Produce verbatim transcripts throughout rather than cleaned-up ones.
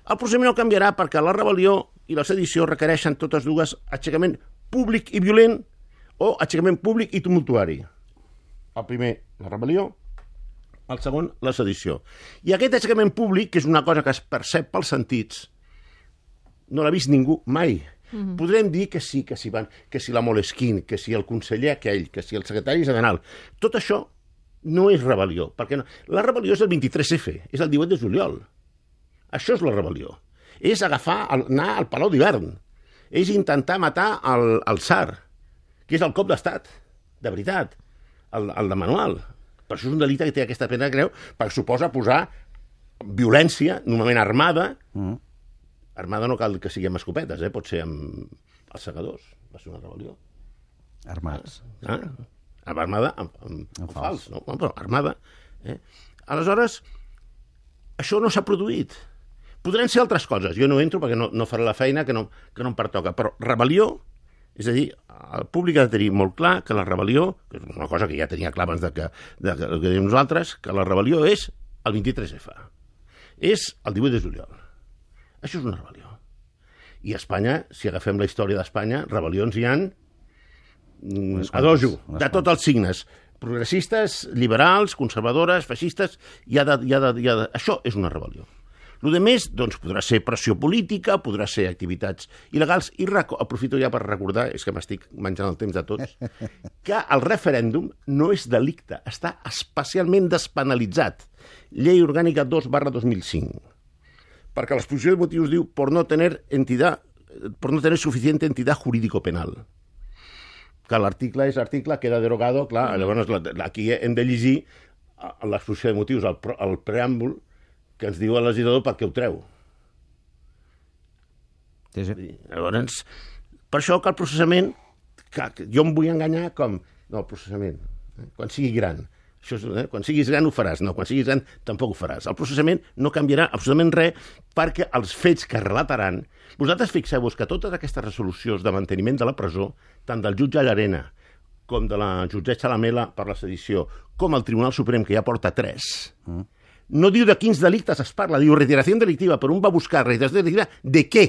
El procediment no canviarà perquè la rebel·lió i la sedició requereixen totes dues aixecament públic i violent o aixecament públic i tumultuari. El primer, la rebel·lió, el segon, la sedició. I aquest aixecament públic, que és una cosa que es percep pels sentits, no l'ha vist ningú mai. Mm-hmm. Podrem dir que sí, que si, van, que si la Moleskine, que si el conseller aquell, que si el secretari general. Tot això no és rebel·lió. Perquè no. La rebel·lió és el vint-i-tres efe, és el divuit de juliol. Això és la rebel·lió. És agafar, el, anar al Palau d'Hivern. És intentar matar el, el tsar, que és el cop d'estat, de veritat, el, el de manual. Per això és un delicte que té aquesta pena greu, perquè suposa posar violència, normalment armada. Mm. Armada no cal que sigui amb escopetes, eh? Pot ser amb els segadors. Va ser una rebel·lió. Armats. Ah? Amb armada, amb, amb, amb, amb fals. No? Però armada. Eh? Aleshores, això no s'ha produït. Podran ser altres coses. Jo no entro perquè no, no faré la feina que no, que no em pertoca. Però rebel·lió, és a dir, el públic ha de tenir molt clar que la rebel·lió, que és una cosa que ja tenia clar abans de que, de que, que diem nosaltres, que la rebel·lió és el vint-i-tres efe. És el divuit de juliol. Això és una rebel·lió. I a Espanya, si agafem la història d'Espanya, rebel·lions hi han a dojo, de tots els signes. Progressistes, liberals, conservadores, feixistes, hi ha de, hi ha de, hi ha de... Això és una rebel·lió. El que més, doncs, podrà ser pressió política, podrà ser activitats il·legals, i reco... aprofito ja per recordar, és que m'estic menjant el temps de tots, que el referèndum no és delicte, està especialment despenalitzat. Llei orgànica dos barra dos mil cinc. Perquè l'exposició de motius diu por no tener entidad, por no tener suficiente entidad jurídico-penal. Que l'article és article, queda derogado, clar, llavors aquí hem de llegir l'exposició de motius, el, el preàmbul, que ens diu el legislador per què ho treu. Sí, sí. Llavors, per això que el processament, que jo em vull enganyar com, no, el processament, eh, quan sigui gran, això és, eh, quan siguis gran ho faràs, no, quan siguis gran tampoc ho faràs. El processament no canviarà absolutament res perquè els fets que relataran... Vosaltres fixeu-vos que totes aquestes resolucions de manteniment de la presó, tant del jutge Llarena com de la jutgessa Lamela per la sedició, com el Tribunal Suprem, que ja porta tres, mm. no diu de quins delictes es parla, diu retiració delictiva, però un va buscar retiració delictiva de què?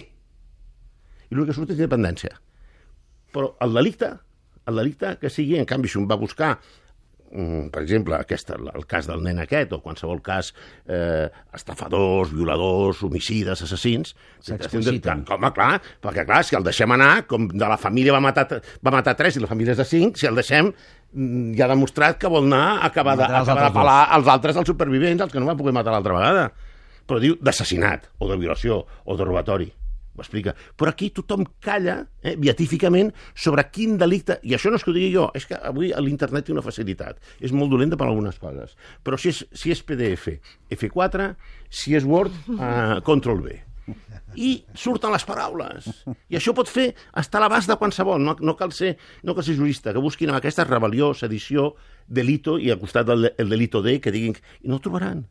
I l'únic que surt és independència. Però el delicte, el delicte que sigui, en canvi, si un va buscar, per exemple, aquest, el cas del nen aquest, o qualsevol cas, eh, estafadors, violadors, homicides, assassins... S'expliciten. Home, clar, perquè clar, si el deixem anar, com de la família va matar, va matar tres i la família és de cinc, si el deixem, ja ha demostrat que vol anar a acabar de, acabar de pelar els altres, els supervivents, els que no van poder matar l'altra vegada. Però diu d'assassinat, o de violació, o de robatori. Ho explica. Però aquí tothom calla, eh, beatíficament, sobre quin delicte... I això no és que ho digui jo, és que avui a l'internet té una facilitat. És molt dolenta per algunes coses. Però si és, si és P D F, efe quatre, si és Word, eh, control ve. I surten les paraules. I això pot fer estar a l'abast de qualsevol. No, no, cal ser, no cal ser jurista, que busquin amb aquesta rebel·lió, sedició, delito, i al costat del el delito D, que diguin... I no ho trobaran.